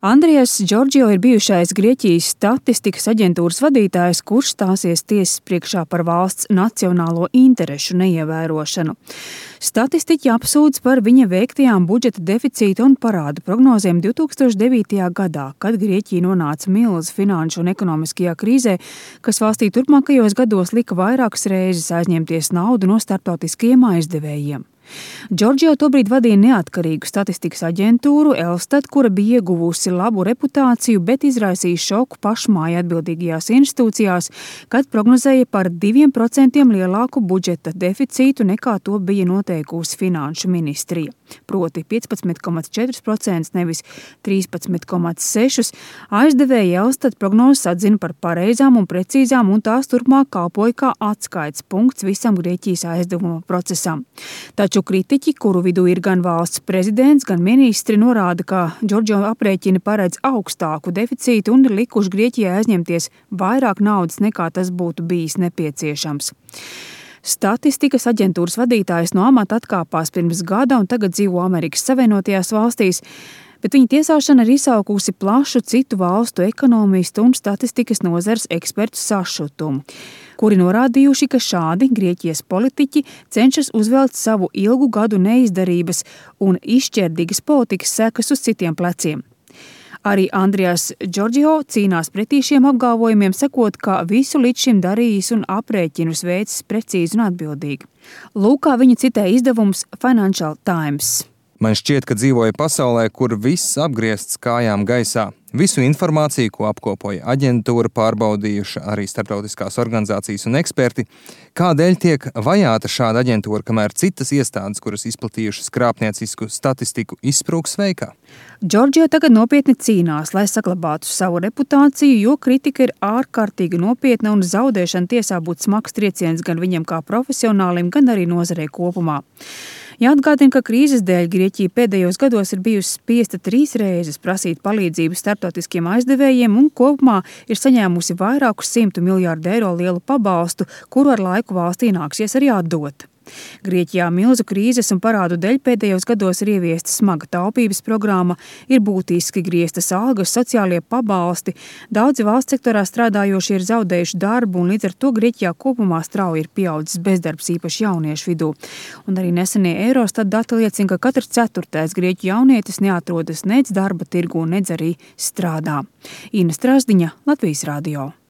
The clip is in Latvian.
Andrijas Džordžio ir bijušais Grieķijas statistikas aģentūras vadītājs, kurš stāsies tiesas priekšā par valsts nacionālo interešu neievērošanu. Statistiķi apsūdz par viņa veiktajām budžeta deficīta un parādu prognozēm 2009. gadā, kad Grieķija nonāca milzu finanšu un ekonomiskajā krīzē, kas valstī turpmākajos gados lika vairākas reizes aizņemties naudu no starptautiskajiem aizdevējiem. Džordžio tobrīd vadīja neatkarīgu statistikas aģentūru Elstat, kura bija ieguvusi labu reputāciju, bet izraisīja šoku pašmāju atbildīgajās institūcijās, kad prognozēja par 2% lielāku budžeta deficītu nekā to bija noteikusi finanšu ministrija. Proti 15,4%, nevis 13,6%. Aizdevēja Elstat prognozes atzina par pareizām un precīzām, un tās turpmāk kalpoja kā atskaites punkts visam Grieķijas aizdevuma procesam. Taču kritiķi, kuru vidū ir gan valsts prezidents, gan ministri, norāda, ka Džordžio aprēķini paredz augstāku deficītu un ir likuši Grieķijai aizņemties vairāk naudas nekā tas būtu bijis nepieciešams. Statistikas aģentūras vadītājs no amata atkāpās pirms gada un tagad dzīvo Amerikas Savienotajās valstīs, bet viņa tiesāšana ir izsaukusi plašu citu valstu ekonomistu un statistikas nozares ekspertu sašutumu, kuri norādījuši, ka šādi Grieķijas politiķi cenšas uzvelt savu ilgu gadu neizdarības un izšķērdīgas politikas sekas uz citiem pleciem. Arī Andrijas Džordžio cīnās pretī šiem apgalvojumiem, sakot, ka visu līdz šim darījis un aprēķinus veicis precīzi un atbildīgi. Lūk, kā viņu citē izdevums Financial Times. Man šķiet, ka dzīvoju pasaulē, kur viss apgriezts kājām gaisā. Visu informāciju, ko apkopoja aģentūra, pārbaudījuši arī starptautiskās organizācijas un eksperti. Kādēļ tiek vajāta šāda aģentūra, kamēr citas iestādes, kuras izplatījušas krāpniecisku statistiku, izsprūgs veikā? Džordžio tagad nopietni cīnās, lai saglabātu savu reputāciju, jo kritika ir ārkārtīgi nopietna un zaudēšana tiesā būtu smags trieciens gan viņam kā profesionālim, gan arī nozarei kopumā. Jāatgādina, ka krīzes dēļ Grieķija pēdējos gados ir bijusi spiesta 3 reizes prasīt palīdzību starptautiskiem aizdevējiem un kopumā ir saņēmusi vairākus 100 miljārdu eiro lielu pabalstu, kuru ar laiku valstī nāksies arī atdot. Grieķijā milzu krīzes un parādu dēļ pēdējos gados ir ieviesta smaga taupības programma, ir būtiski grieztas algas, sociālie pabalsti, daudzi valsts sektorā strādājošie ir zaudējuši darbu un līdz ar to Grieķijā kopumā strauji ir pieaudzis bezdarbs īpaši jauniešu vidū. Un arī nesenie Eurostat dati liecina, ka katrs 4. grieķu jaunietis neatrodas nec darba tirgū, nec arī strādā. Ina Strasdiņa, Latvijas radio.